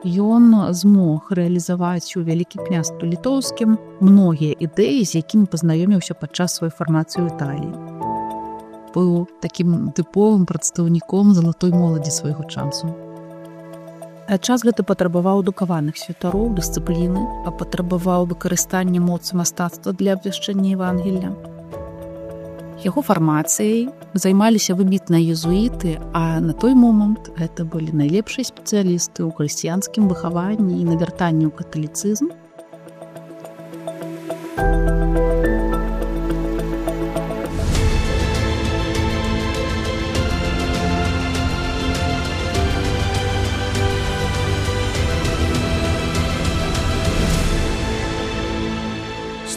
ён змог рэалізаваць у Вялікім княстве літоўскім многія ідэі, з якімі пазнаёміўся падчас сваёй фармацыі ў Італіі. Быў такім тыповым прадстаўніком залатой моладзі свайго часу. Час гэты патрабаваў адукаваных святароў, дысцыпліны, а патрабаваў выкарыстання моцы мастацтва для абвяшчэння Евангелля. Яго фармацыяй займаліся выбітныя езуіты, а на той момант гэта былі найлепшыя спецыялісты ў хрысціянскім выхаванні і навяртанні ў каталіцызм.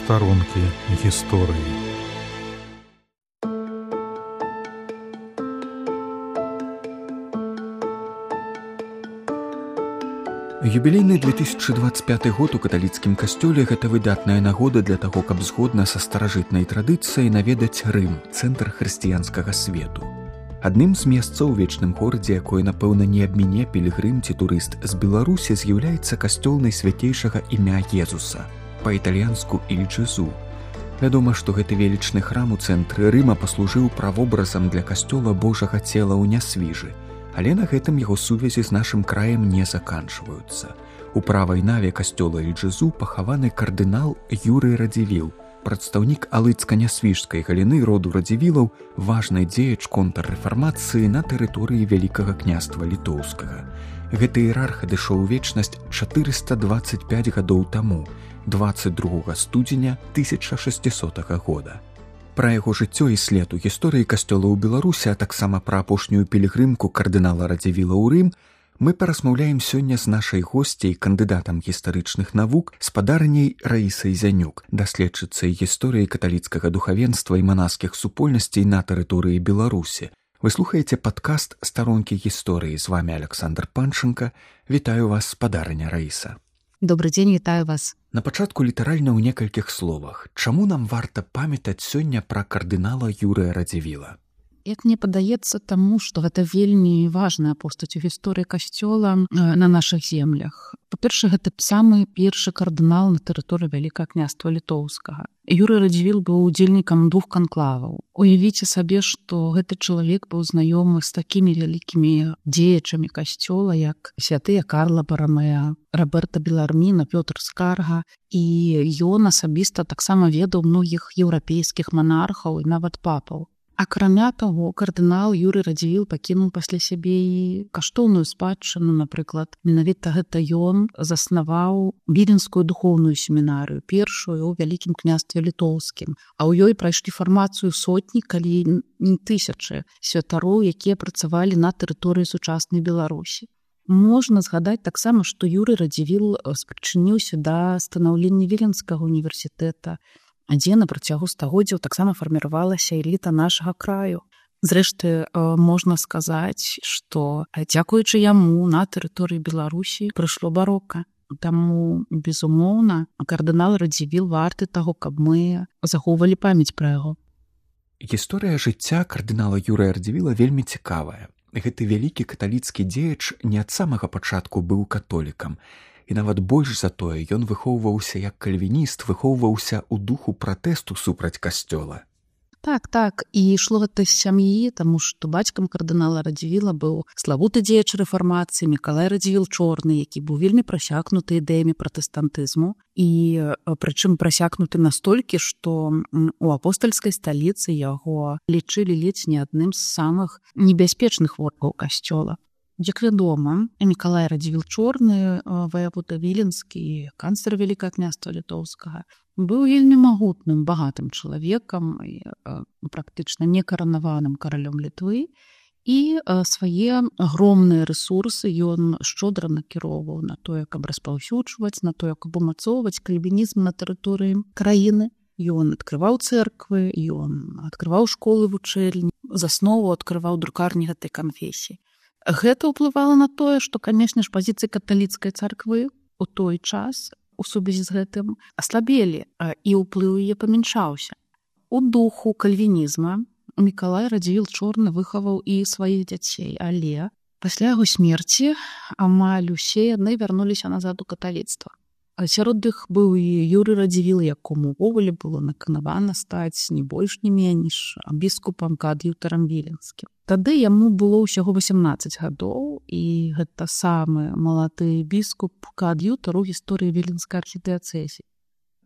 Старонкі гісторыі. Юбілейны 2025 год у каталіцкім касцёле – гэта выдатная нагода для таго, каб згодна са старажытнай традыцыяй наведаць Рым, цэнтр хрысціянскага свету. Адным з месцаў у вечным горадзе, якое, напэўна, не абміне пілігрым ці турыст з Беларусі, з'яўляецца касцёл найсвяцейшага імя Езуса, па-італьянску «Иль Джезу». Вядома, што гэты велічны храм у цэнтры Рыма паслужыў правобразам для касцёла Божага цела ў Нясвіжы, але на гэтым яго сувязі з нашым краем не заканчваюцца. У правай наве касцёла «Иль Джезу» пахаваны кардынал Юрый Радзівіл, прадстаўнік алыцка-нясвіжскай галіны роду Радзівілаў, важны дзеяч контррэфармацыі на тэрыторыі Вялікага княства літоўскага. Гэты іерарх адышоў у вечнасць 425 гадоў таму, 22 студзеня 1600 года. Пра яго жыццё і след у гісторыі касцёла ў Беларусі, а таксама пра апошнюю пілігрымку кардынала Радзівіла ў Рым, мы паразмаўляем сёння з нашай госцяй, кандыдатам гістарычных навук, спадарняй Раісай Зянюк, даследчыцай гісторыі каталіцкага духавенства і манаскіх супольнасцей на тэрыторыі Беларусі. Вы слухаеце падкаст «Старонкі гісторыі». З вами Александр Панченко. Вітаю вас, спадарня Раіса. Добрый дзень, вітаю вас. На пачатку літаральна ў некалькіх словах. Чаму нам варта памятаць сёння пра кардынала Юрыя Радзівіла? Як мне падаецца, таму, што гэта вельмі важная постаць у гісторыі касцёла на нашых землях. Па-першае, гэта самы першы кардынал на тэрыторыі Вялікага княства літоўскага. Юрый Радзівіл быў удзельнікам 2 канклаваў. Уявіце сабе, што гэты чалавек быў знаёмы з такімі вялікімі дзеячамі касцёла, як святыя Карла Барамеа, Роберта Беларміна, Пётр Скарга, і ён асабіста таксама ведаў многіх еўрапейскіх манархаў і нават папаў. Акрамя таго, кардынал Юрый Радзівіл пакінуў пасля сябе і каштоўную спадчыну, напрыклад, менавіта гэта ён заснаваў Віленскую духоўную семінарыю, першую ў Вялікім княстве літоўскім, а ў ёй прайшлі фармацыю сотні, калі не тысячы святароў, якія працавалі на тэрыторыі сучаснай Беларусі. Можна згадаць таксама, што Юрый Радзівіл спрычыніўся да станаўлення Віленскага універсітэта, дзе на працягу стагоддзяў таксама фарміравалася эліта нашага краю. Зрэшты, можна сказаць, што дзякуючы яму на тэрыторыі Беларусі прыйшло барока. Таму, безумоўна, кардынал Радзівіл варты таго, каб мы захоўвалі памяць пра яго. Гісторыя жыцця кардынала Юрыя Радзівіла вельмі цікавая. Гэты вялікі каталіцкі дзеяч не ад самага пачатку быў католікам. І нават больш за тое, ён выхоўваўся як кальвініст, выхоўваўся ў духу пратэсту супраць касцёла. Так, і ішло гэта з сям'і, таму што бацькам кардынала Радзівіла быў славуты дзеяч рэфармацыі Мікалай Радзівіл Чорны, які быў вельмі прасякнуты ідэямі пратэстантызму, і прычым прасякнуты настолькі, што у апостальскай сталіцы яго лічылі ледзь не адным з самых небяспечных ворагаў касцёла. Як вядома, Мікалай Радзівіл Чорны, ваявода Віленскі, канцлер Вялікага княства літоўскага, быў вельмі магутным, багатым чалавекам, практычна некаранаваным каралём Літвы, і свае агромныя рэсурсы ён шчодра накіроўваў на тое, каб распаўсюджваць, на тое, каб умацоўваць кальвінізм на тэрыторыі краіны. Ён адкрываў цэрквы, ён адкрываў школы вучэльні, заснову адкрываў друкарні гэтай канфесіі. Гэта ўплывала на тое, што, канешне ж, пазіцыі каталіцкай царквы ў той час у сувязі з гэтым аслабелі, і ўплыў яе памяншаўся. У духу кальвінізма Мікалай Радзівіл Чорны выхаваў і сваіх дзяцей, але Пасля яго смерці амаль усе яны вярнуліся назад у каталіцтва. Сярод іх быў і Юрый Радзівіл, якому ўвогуле было наканавана стаць не больш не менш біскупам коад'ютарам віленскім. Тады яму было ўсяго 18 гадоў, і гэта самы малады біскуп коад'ютар у гісторыі віленскай архідыяцэзіі.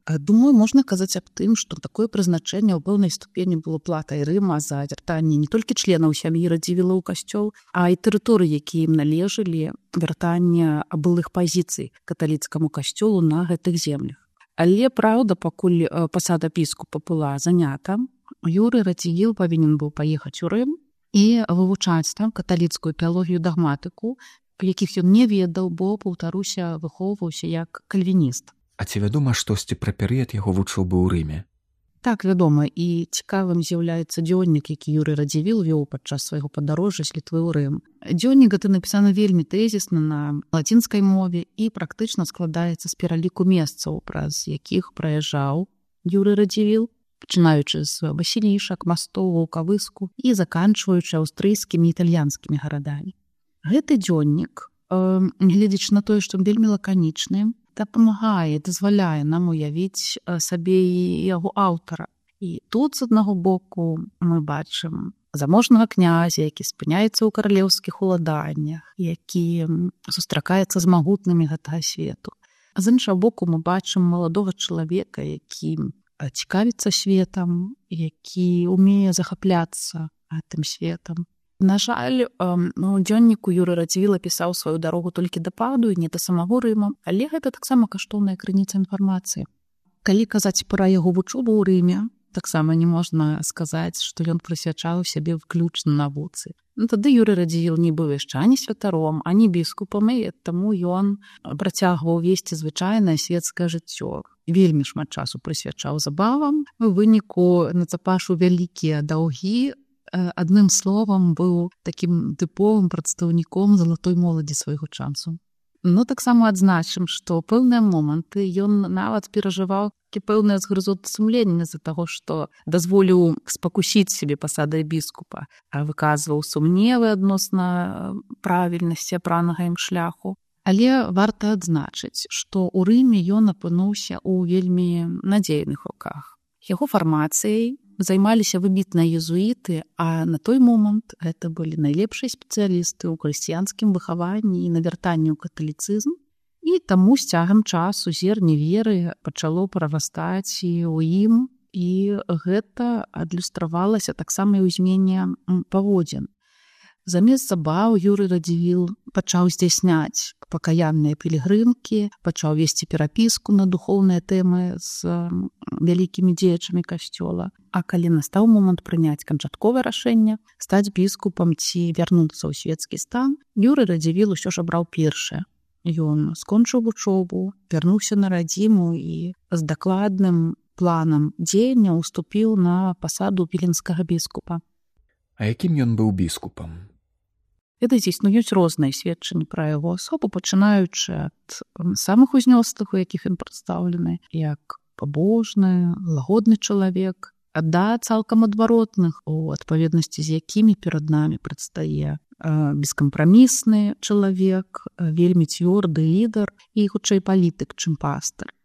Думаю, можна казаць аб тым, што такое прызначэнне ў пэўнай ступені было платай Рыма за вяртанне не толькі членаў сям'і Радзівіла ў касцёл, а і тэрыторыі, якія ім належалі, вяртанне былых пазіцый каталіцкаму касцёлу на гэтых землях. Але, праўда, пакуль пасада біскупа была занята, Юрый Радзівіл павінен быў паехаць у Рым і вывучаць там каталіцкую тэалогію дагматыку, якіх ён не ведаў, бо, паўтаруся, выхоўваўся як кальвініст. А ці вядома штосьці пра перыяд яго вучобы ў Рыме? Так, вядома, і цікавым з'яўляецца дзённік, які Юрый Радзівіл вёў падчас свайго падарожжа з Літвы ў Рым. Дзённік гэты напісаны вельмі тэзісна на лацінскай мове і практычна складаецца з пераліку месцаў, праз якіх праязджаў Юрый Радзівіл, пачынаючы з Васілішак, Мастоў, Ваўкавыску і заканчваючы аўстрыйскімі і італьянскімі гарадамі. Гэты дзённік, гледзячы на тое, што вельмі лаканічны, дапамагае, дазваляе нам уявіць сабе і яго аўтара. І тут, з аднаго боку, мы бачым заможнага князя, які спыняецца ў каралеўскіх уладаннях, які сустракаецца з магутнымі гэтага свету. А з іншага боку, мы бачым маладога чалавека, які цікавіцца светам, які умее захапляцца гэтым светам. На жаль, у дзённіку Юрый Радзівіл пісаў сваю дарогу толькі да Паду і не да самого Рыма, але гэта таксама каштоўная крыніца інфармацыі. Калі казаць пра яго вучобу ў Рыме, таксама не можна сказаць, што ён прысвячаў сябе выключна навуцы. Тады Юрый Радзівіл не быў яшчэ ані святаром, ані біскупам, і таму ён працягваў весці звычайнае светскае жыццё. Вельмі шмат часу прысвячаў забавам, у выніку нацапашу вялікія даўгі, адным словам, быў такім тыповым прадстаўніком залатой моладзі свайго часу. Таксама адзначым, што ў пэўныя моманты ён нават перажываў пэўныя згрызоты сумлення з-за таго, што дазволіў спакусіць сябе пасадай біскупа, а выказваў сумневы адносна правільнасці апранага ім шляху. Але варта адзначыць, што ў Рыме ён апынуўся ў вельмі надзейных руках. Яго фармацыяй займаліся выбітныя езуіты, а на той момант гэта былі найлепшыя спецыялісты ў хрысціянскім выхаванні і навяртанні ў каталіцызм, і таму з цягам часу зерне веры пачало прарастаць і ў ім, і гэта адлюстравалася таксама і ў змене паводзін. Замест забаў Юрый Радзівіл пачаў здзяйсняць пакаянныя пілігрымкі, пачаў весці перапіску на духоўныя тэмы з вялікімі дзеячамі касцёла. А калі настаў момант прыняць канчатковае рашэнне, стаць біскупам ці вярнуцца ў свецкі стан, Юрый Радзівіл усё ж абраў першае. Ён скончыў вучобу, вярнуўся на радзіму і з дакладным планам дзеяння ўступіў на пасаду віленскага біскупа. А якім ён быў біскупам? Ведаеце, існуюць розныя сведчанні пра яго асобу, пачынаючы ад самых узнёслых, у якіх ён прадстаўлены, як пабожны, лагодны чалавек, да цалкам адваротных, у адпаведнасці з якімі перад намі прадстае бескампрамісны чалавек, вельмі цвёрды лідар і хутчэй палітык, чым пастар.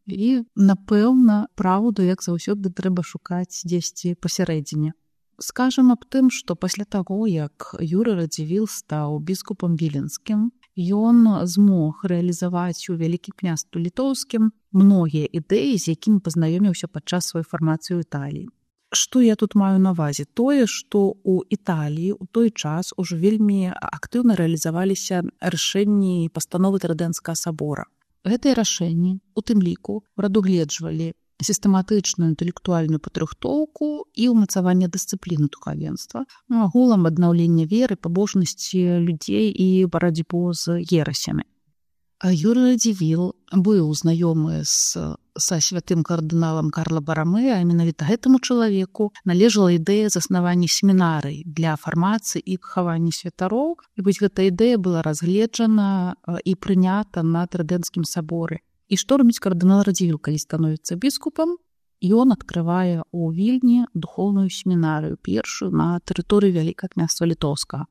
І, напэўна, праўду, як заўсёды, трэба шукаць дзесьці пасярэдзіне. Скажам аб тым, што пасля таго, як Юрый Радзівіл стаў біскупам віленскім, ён змог рэалізаваць у Вялікім княстве літоўскім многія ідэі, з якімі пазнаёміўся падчас сваёй фармацыі ў Італіі. Што я тут маю на ўвазе? Тое, што ў Італіі ў той час ужо вельмі актыўна рэалізаваліся рашэнні і пастановы Трыдэнскага сабора. Гэтыя рашэнні, у тым ліку, прадугледжвалі сістэматычную інтэлектуальную падрыхтоўку і ўмацаванне дысцыпліны духавенства, агулам аднаўлення веры, пабожнасці людзей і барацьбу з ерасямі. Юрый Радзівіл быў знаёмы са святым кардыналам Карла Барамеа, а менавіта гэтаму чалавеку належала ідэя заснавання семінарый для фармацыі і выхавання святароў. І вось гэта ідэя была разгледжана і прынята на Трыдэнскім саборы. І што робіць кардынал Радзівіл, калі становіцца біскупам? Ён адкрывае ў Вільні духоўную семінарыю, першую на тэрыторыі Вялікага княства Літоўскага.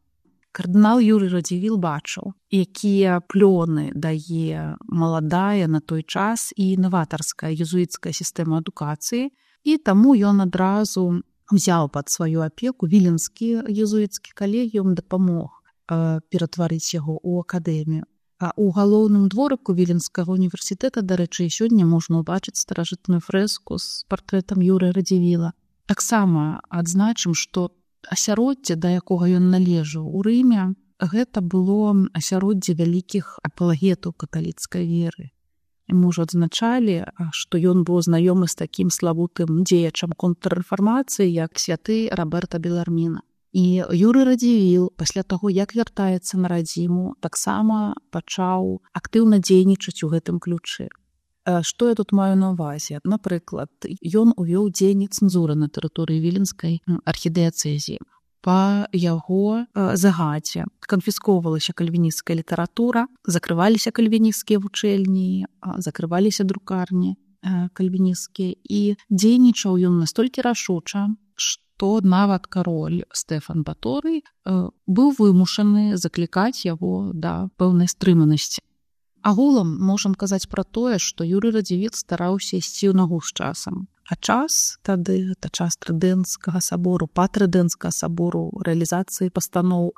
Кардынал Юрый Радзівіл бачыў, якія плёны дае маладая на той час і інаватарская езуіцкая сістэма адукацыі, і таму ён адразу взяў пад сваю апеку віленскі езуіцкі калегіум, дапамог ператварыць яго ў акадэмію. А ў галоўным дворыку Віленскага універсітэта, дарэчы, і сёння можна ўбачыць старажытную фрэску з партрэтам Юрыя Радзівіла. Таксама адзначым, што асяроддзе, да якога ён належаў у Рыме, гэта было асяроддзе вялікіх апалагетаў каталіцкай веры. І мы ўжо адзначалі, што ён быў знаёмы з такім славутым дзеячам контррэфармацыі, як святы Роберта Беларміна. І Юрый Радзівіл, пасля таго, як вяртаецца на радзіму, таксама пачаў актыўна дзейнічаць у гэтым ключы. Што я тут маю на ўвазе? Напрыклад, ён увёў дзеянне цэнзуры на тэрыторыі Віленскай архідыяцэзіі. Па яго загадзе канфіскоўвалася кальвінісцкая літаратура, закрываліся кальвінісцкія вучэльні, закрываліся друкарні кальвінісцкія, і дзейнічаў ён настолькі рашуча, што нават кароль Стэфан Баторый быў вымушаны заклікаць яго да пэўнай стрыманасці. Агулам можам казаць пра тое, што Юрый Радзівіл стараўся ісці ў нагу з часам. А час тады, гэта час Трыдэнцкага сабору, патрыдэнцкага сабору, рэалізацыі пастаноў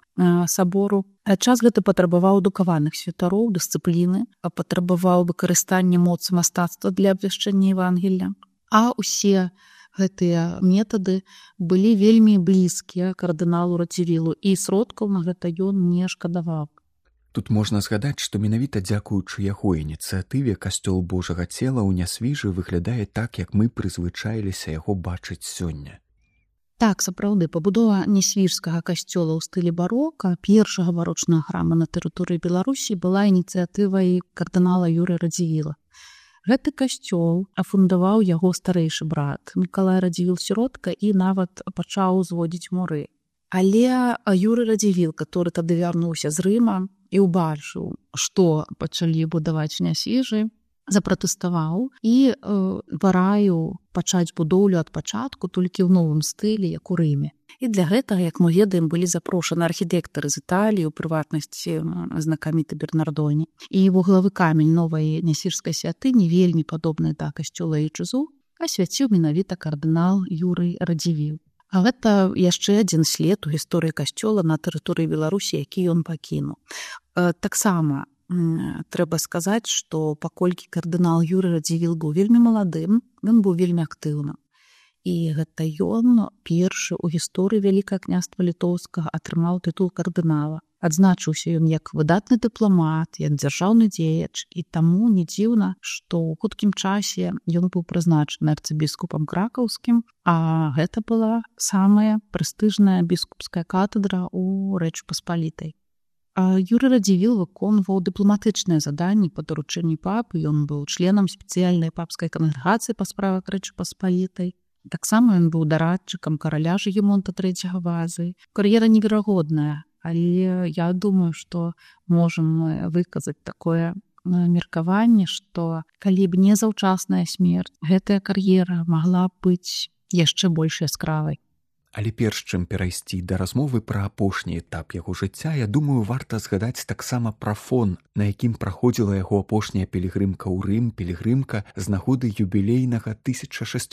сабору. Час гэты патрабаваў адукаваных святароў, дысцыпліны, патрабаваў выкарыстання моцы мастацтва для абвяшчэння Евангелля. А ўсе гэтыя метады былі вельмі блізкія кардыналу Радзівілу, і сродкаў на гэта ён не шкадаваў. Тут можна згадаць, што менавіта дзякуючы яго ініцыятыве касцёл Божага цела ў Нясвіжы выглядае так, як мы прызвычаіліся яго бачыць сёння. Так, сапраўды, пабудова Нясвіжскага касцёла ў стылі барока, першага барочнага храма на тэрыторыі Беларусі, была ініцыятывай кардынала Юрыя Радзівіла. Гэты касцёл афундаваў яго старэйшы брат Мікалай Радзівіл-сіротка і нават пачаў узводзіць муры. Але Юрый Радзівіл, который тады вярнуўся з Рыма і ўбачыў, што пачалі будаваць в Нясвіжы, запратэставаў і параіў пачаць будоўлю ад пачатку толькі ў новым стылі, як у Рыме. І для гэтага, як мы ведаем, былі запрошаны архітэктары з Італіі, у прыватнасці знакаміты Бернардоні. І вуглавы камень новай нясвіжскай святыні, вельмі падобны да касцёла Ічызу, асвяціў менавіта кардынал Юрый Радзівіл. А гэта яшчэ адзін след у гісторыі касцёла на тэрыторыі Беларусі, які ён пакінуў. Таксама трэба сказаць, што паколькі кардынал Юрый Радзівіл быў вельмі маладым, ён быў вельмі актыўным. І гэта ён першы ў гісторыі Вялікага княства Літоўскага атрымаў тытул кардынала. Адзначыўся ён як выдатны дыпламат, як дзяржаўны дзеяч, і таму не дзіўна, што ў хуткім часе ён быў прызначаны арцыбіскупам кракаўскім, а гэта была самая прэстыжная біскупская катедра ў Рэчы Паспалітай. Юрый Радзівіл выконваў дыпламатычныя заданні па даручэнні папы, ён быў членам спецыяльнай папскай кангрэгацыі па справах Рэчы Паспалітай. Таксама ён быў дарадчыкам караля Жыгімонта III Вазы. Кар'ера неверагодная, але я думаю, што можам выказаць такое меркаванне, што калі б не заўчасная смерць, гэтая кар'ера магла быць яшчэ больш яскравай. Але перш чым перайсці да размовы пра апошні этап яго жыцця, я думаю, варта згадаць таксама пра фон, на якім праходзіла яго апошняя пілігрымка ў Рым, пілігрымка з нагоды юбілейнага 1600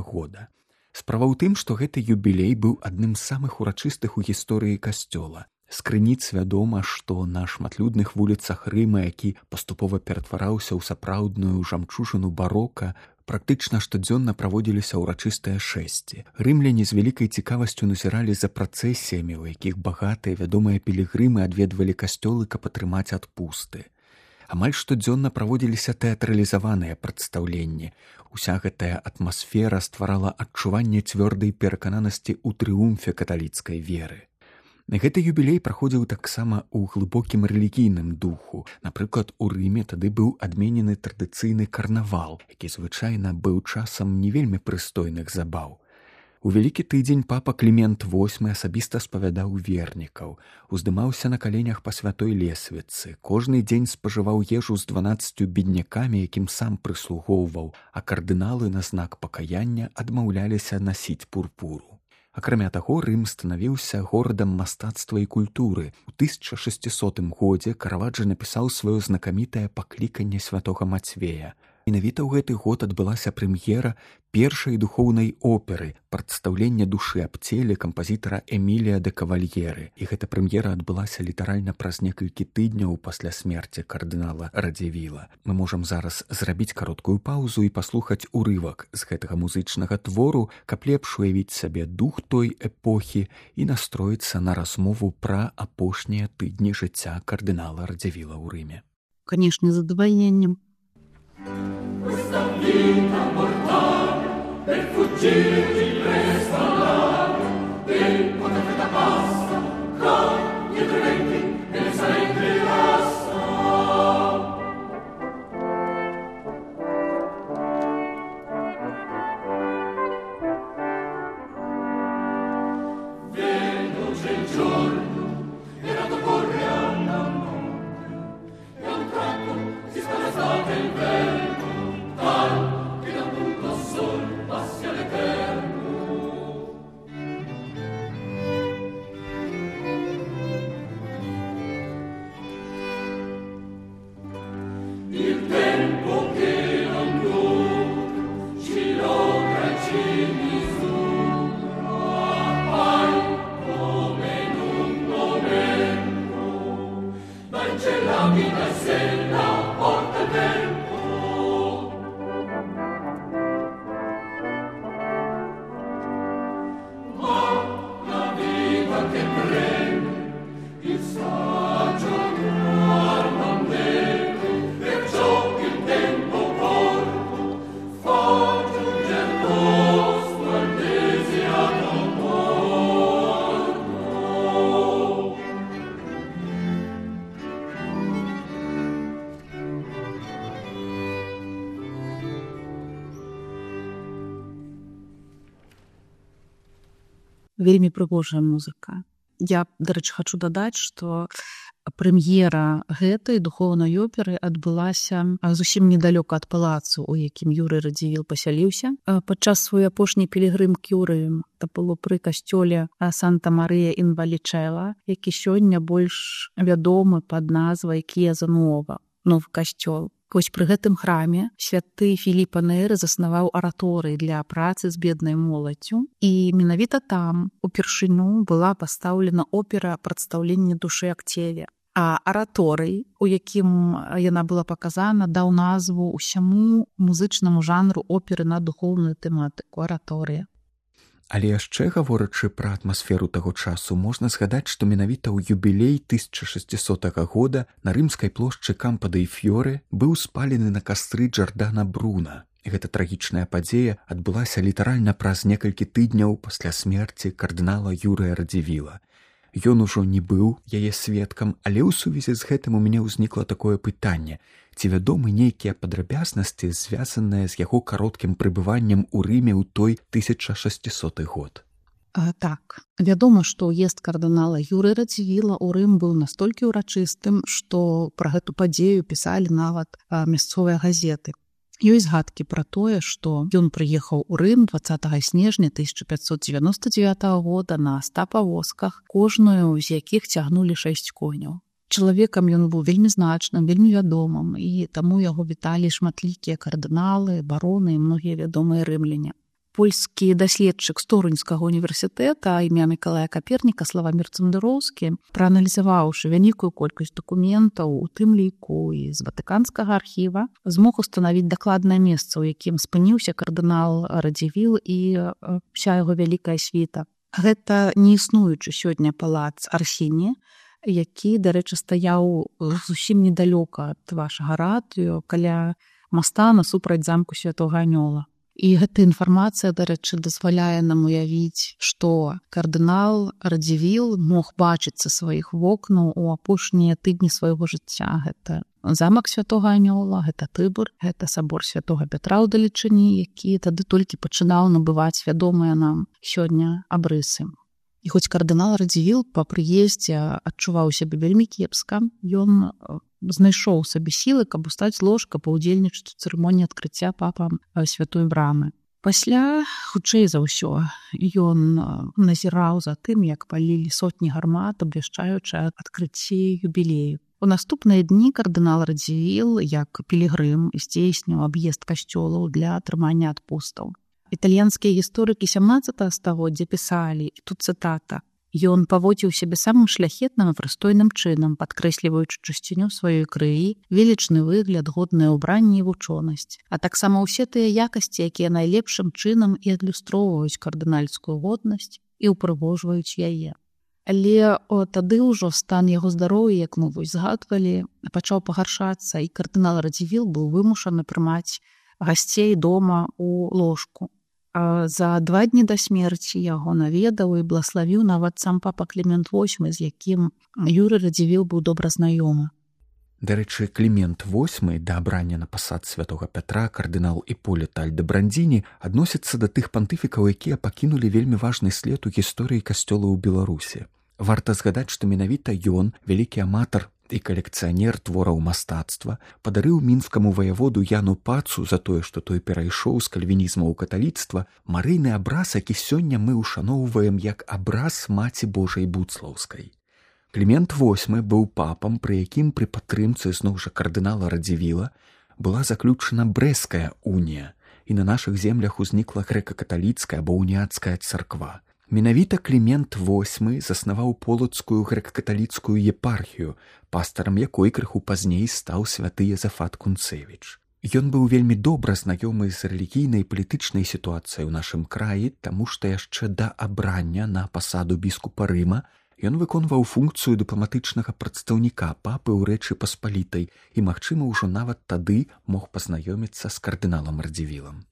года. Справа ў тым, што гэты юбілей быў адным з самых урачыстых у гісторыі касцёла. З крыніц вядома, што на шматлюдных вуліцах Рыма, які паступова ператвараўся ў сапраўдную жамчужыну барока, практычна штодзённа праводзіліся ўрачыстыя шэсці. Рымляне з вялікай цікавасцю назіралі за працэсіямі, у якіх багатыя вядомыя пілігрымы адведвалі касцёлы, каб атрымаць адпусты. Амаль штодзённа праводзіліся тэатралізаваныя прадстаўленні. Уся гэтая атмасфера стварала адчуванне цвёрдай перакананасці ў трыумфе каталіцкай веры. Гэты юбілей праходзіў таксама ў глыбокім рэлігійным духу. Напрыклад, у Рыме тады быў адменены традыцыйны карнавал, які звычайна быў часам не вельмі прыстойных забаў. У Вялікі тыдзень папа Клімент VIII асабіста спавядаў вернікаў, уздымаўся на каленях па святой лесвіцы, кожны дзень спажываў ежу з 12 беднякамі, якім сам прыслугоўваў, а кардыналы на знак пакаяння адмаўляліся насіць пурпуру. Акрамя таго, Рым станавіўся горадам мастацтва і культуры. У 1600 годзе Караваджа напісаў сваё знакамітае пакліканне святога Мацвея. Менавіта ў гэты год адбылася прэм'ера першай духоўнай оперы «Прадстаўленне душы аб целе» кампазітара Эмілія де Кавальеры. І гэта прэм'ера адбылася літаральна праз некалькі тыдняў пасля смерці кардынала Радзівіла. Мы можам зараз зрабіць кароткую паўзу і паслухаць урывак з гэтага музычнага твору, каб лепш уявіць сабе дух той эпохі і настроіцца на размову пра апошнія тыдні жыцця кардынала Радзівіла ў Рыме. Канешне, з задавальненнем. Questa vita mortale per fuggire di questa nave del potente passa con gli trementi e le salenti rassa. Veloce il giorno era da correre alla notte e a un tratto si spalazzava il vento tal che da un punto sol passi all'eterno. Il tempo che non dura ci logra e ci misura, mai come in un momento dai celati da sella porta il vento. Ma la vita che prende il saggio non deve, perciò che il tempo corto fa giungere posto al desiato porto. Вельмі прыгожая музыка. Я, дарэчы, хачу дадаць, што прэм'ера гэтай духоўнай оперы адбылася зусім недалёка ад палацу, у якім Юрый Радзівіл пасяліўся. Падчас сваёй апошняй пілігрымкі ў Рым, это было пры касцёле Санта-Марыя ін Валічэла, які сёння больш вядомы пад назвай К'еза Нуова, новы касцёл. Вось пры гэтым храме святы Філіп Нейры заснаваў араторый для працы з беднай моладдзю, і менавіта там упершыню была пастаўлена опера «Прадстаўленне душы аб целе». А араторый, у якім яна была паказана, даў назву ўсяму музычнаму жанру оперы на духоўную тэматыку араторыя. Але яшчэ гаворачы пра атмасферу таго часу, можна згадаць, што менавіта ў юбілей 1600 года на рымскай плошчы Кампа дэй Фьоре быў спалены на кастры Джардана Бруна. Гэта трагічная падзея адбылася літаральна праз некалькі тыдняў пасля смерці кардынала Юрыя Радзівіла. Ён ужо не быў яе сведкам, але ў сувязі з гэтым у мяне ўзнікла такое пытанне: ці вядомы нейкія падрабязнасці, звязаныя з яго кароткім прыбываннем у Рыме ў той 1600 год? Так, вядома, што ўезд кардынала Юрыя Радзівіла ў Рым быў настолькі ўрачыстым, што пра гэту падзею пісалі нават мясцовыя газеты. Ёсць згадкі пра тое, што ён прыехаў у Рым 20 снежня 1599 года на 100 павозках, кожную з якіх цягнулі 6 коняў. Чалавекам ён быў вельмі значным, вельмі вядомым, і таму яго віталі шматлікія кардыналы, бароны і многія вядомыя рымляне. Польскі даследчык Сторунскага універсітэта імя Мікалая Каперніка Славамір Цандыроўскі, прааналізаваўшы вялікую колькасць дакументаў, у тым ліку і з Ватыканскага архіва, змог устанавіць дакладнае месца, у якім спыніўся кардынал Радзівіл і ўся яго вялікая світа. Гэта неіснуючы сёння палац Арсені, які, дарэчы, стаяў зусім недалёка ад вашага радыё, каля моста насупраць замку Святога Анёла. І гэта інфармацыя, дарэчы, дазваляе нам уявіць, што кардынал Радзівіл мог бачыць са сваіх вокнаў у апошнія тыдні свайго жыцця. Гэта замак Святога Анёла, гэта Тыбор, гэта сабор Святога Пятра ў далечыні, які тады толькі пачынаў набываць вядомыя нам сёння абрысы. І хоць кардынал Радзівіл па прыездзе адчуваў сябе вельмі кепска, ён знайшоў сабе сілы, каб устаць з ложка, паўдзельнічаць у цырымоніі адкрыцця папам святой брамы. Пасля, хутчэй за ўсё, ён назіраў за тым, як палілі сотні гармат, абвяшчаючы адкрыцці юбілею. У наступныя дні кардынал Радзівіл, як пілігрым, здзейсніў аб'езд касцёлаў для атрымання адпустаў. Італьянскія гісторыкі 17 стагоддзя пісалі, і тут цытата: «Ён паводзіў сябе самым шляхетным і прыстойным чынам, падкрэсліваючы чысціню сваёй крыі, велічны выгляд, годнае ўбранне і вучонасць, а таксама ўсе тыя якасці, якія найлепшым чынам і адлюстроўваюць кардынальскую годнасць і ўпрыгожваюць яе». Але тады ўжо стан яго здароўя, як мы вось згадвалі, пачаў пагаршацца, і кардынал Радзівіл быў вымушаны прымаць гасцей дома ў ложку. За 2 дні да смерці яго наведаў і блаславіў нават сам папа Клімент VIII, з якім Юрый Радзівіл быў добра знаёмы. Дарэчы, Клімент VIII да абрання на пасад святога Пятра кардынал Іпполіт Альдебрандзіні адносіцца да тых пантыфікаў, якія пакінулі вельмі важны след у гісторыі касцёла ў Беларусі. Варта згадаць, што менавіта ён, вялікі аматар і калекцыянер твораў мастацтва, падарыў мінскаму ваяводу Яну Пацу за тое, што той перайшоў з кальвінізму ў каталіцтва, марыйны абраз, які сёння мы ушаноўваем як абраз Маці Божай Буцлаўскай. Клімент VIII быў папам, пры якім пры падтрымцы зноў жа кардынала Радзівіла была заключана Брэсцкая унія, і на нашых землях узнікла грэка-каталіцкая або уніяцкая царква. Менавіта Клімент VIII заснаваў полацкую грэка-каталіцкую епархію, пастарам якой крыху пазней стаў святы Язафат Кунцевіч. Ён быў вельмі добра знаёмы з рэлігійнай і палітычнай сітуацыяй у нашым краі, таму што яшчэ да абрання на пасаду біскупа Рыма ён выконваў функцыю дыпламатычнага прадстаўніка папы ў Рэчы Паспалітай і, магчыма, ужо нават тады мог пазнаёміцца з кардыналам Радзівілам.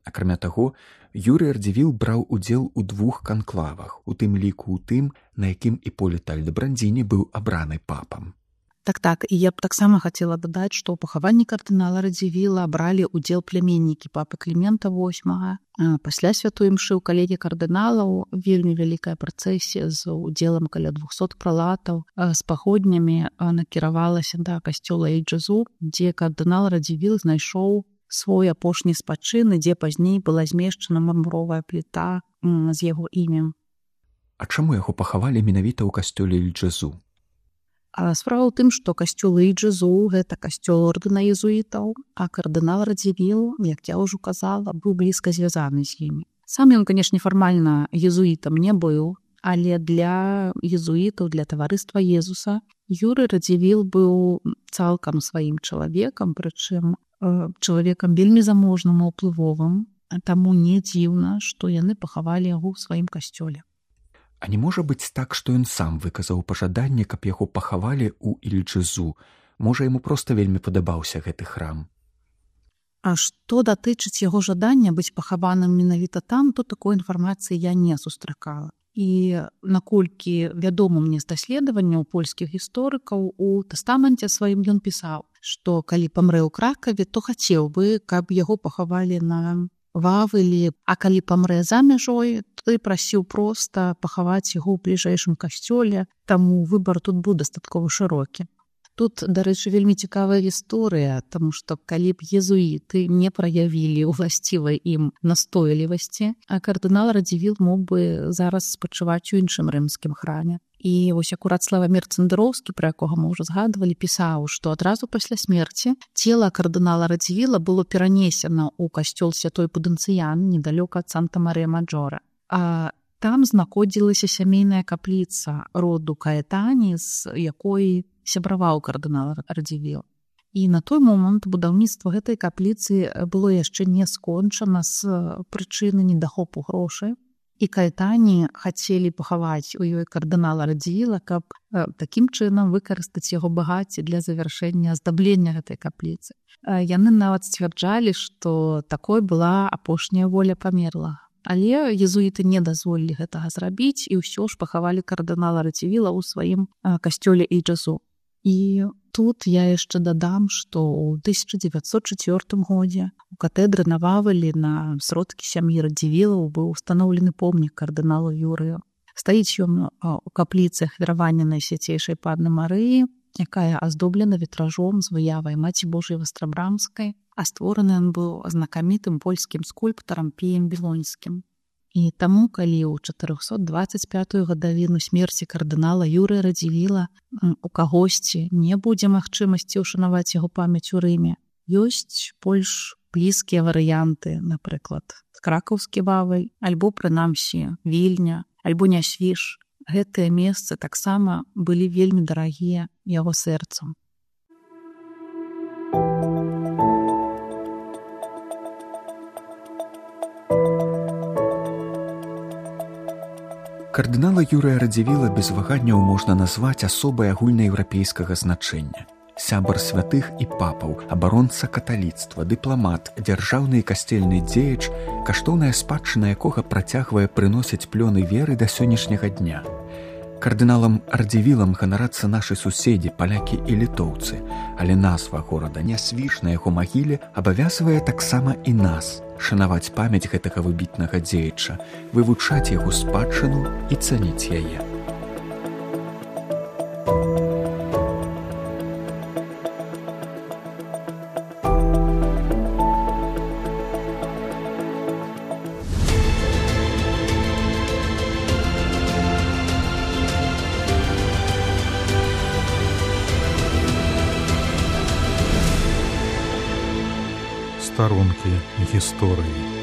Акрамя таго, Юрый Радзівіл браў удзел у 2 канклавах, у тым ліку ў тым, на якім Іпполіт Альдебрандзіні быў абраны папам. Так, і я б таксама хацела дадаць, што ў пахаванні кардынала Радзівіла бралі ўдзел пляменнікі папы Клімента VIII. Пасля святой імшы ў калегіі кардыналаў вельмі вялікая працэсія з удзелам каля 200 пралатаў з паходнямі накіравалася да касцёла Эйджазу, дзе кардынал Радзівіл знайшоў свой апошні спачын, дзе пазней была змешчана мармуровая пліта з яго імем. А чаму яго пахавалі менавіта ў касцёле Эйджазу? Справа ў тым, што касцёл Эйджазу – гэта касцёл ордэна езуітаў, а кардынал Радзівіл, як я ўжо казала, быў блізка звязаны з імі. Сам ён, канешне, фармальна езуітам не быў, але для езуітаў, для таварыства Езуса Юрый Радзівіл быў цалкам сваім чалавекам, прычым чалавекам вельмі заможным і ўплывовым, таму не дзіўна, што яны пахавалі яго ў сваім касцёле. А не можа быць так, што ён сам выказаў пажаданне, каб яго пахавалі ў Ільджазу? Можа, яму проста вельмі падабаўся гэты храм? А што датычыць яго жадання быць пахаваным менавіта там, то такой інфармацыі я не сустракала. І наколькі вядома мне з даследаванняў польскіх гісторыкаў, у тэстаменце сваім ён пісаў, што калі памрэ ў Кракаве, то хацеў бы, каб яго пахавалі на Вавылі, а калі памрэ за мяжой, то прасіў проста пахаваць яго ў бліжэйшым касцёле, таму выбар тут быў дастаткова шырокі. Тут, дарэчы, вельмі цікавая гісторыя, таму што калі б езуіты не праявілі ўласцівай ім настойлівасці, а кардынал Радзівіл мог бы зараз спачываць у іншым рымскім храме. І вось акурат Славамір Цандыроўскі, пра якога мы ўжо згадвалі, пісаў, што адразу пасля смерці цела кардынала Радзівіла было перанесена ў касцёл святой Пудэнцыян недалёка ад Санта-Марыя-Маджора. А там знаходзілася сямейная капліца роду Каэтані, з якой сябраваў кардынал Радзівіл. І на той момант будаўніцтва гэтай капліцы было яшчэ не скончана з прычыны недахопу грошай. І Каэтані хацелі пахаваць у ёй кардынала Радзівіла, каб такім чынам выкарыстаць яго багацце для завяршэння аздаблення гэтай капліцы. Яны нават сцвярджалі, што такой была апошняя воля памерлага. Але езуіты не дазволілі гэтага зрабіць і ўсё ж пахавалі кардынала Радзівіла ў сваім касцёле Эйджазу. І тут я яшчэ дадам, што ў 1904 годзе у катэдры на Вавылі на сродкі сям'і Радзівілаў быў устаноўлены помнік кардыналу Юрыю. Стаіць ён у капліцы ахвяравання Найсвяцейшай Панны Марыі, якая аздоблена вітражом з выявай Маці Божай Вастрабрамскай, а створаны ён быў знакамітым польскім скульптарам Піем Білонскім. І таму, калі ў 425-ю гадавіну смерці кардынала Юрыя Радзівіла у кагосьці не будзе магчымасці ўшанаваць яго памяць у Рыме, ёсць больш блізкія варыянты, напрыклад, кракаўскі Вавель, альбо, прынамсі, Вільня, альбо Нясвіж. Гэтыя месцы таксама былі вельмі дарагія яго сэрцам. Кардынала Юрыя Радзівіла без ваганняў можна назваць асобай агульнаеўрапейскага значэння. Сябар святых і папаў, абаронца каталіцтва, дыпламат, дзяржаўны і касцельны дзеяч, каштоўная спадчына якога працягвае прыносіць плёны веры да сённяшняга дня. Кардыналам Радзівілам ганарацца нашы суседзі, палякі і літоўцы, але назва горада Нясвіж на яго магіле абавязвае таксама і нас шанаваць памяць гэтага выбітнага дзеяча, вывучаць яго спадчыну і цаніць яе. Старонкі гісторыі.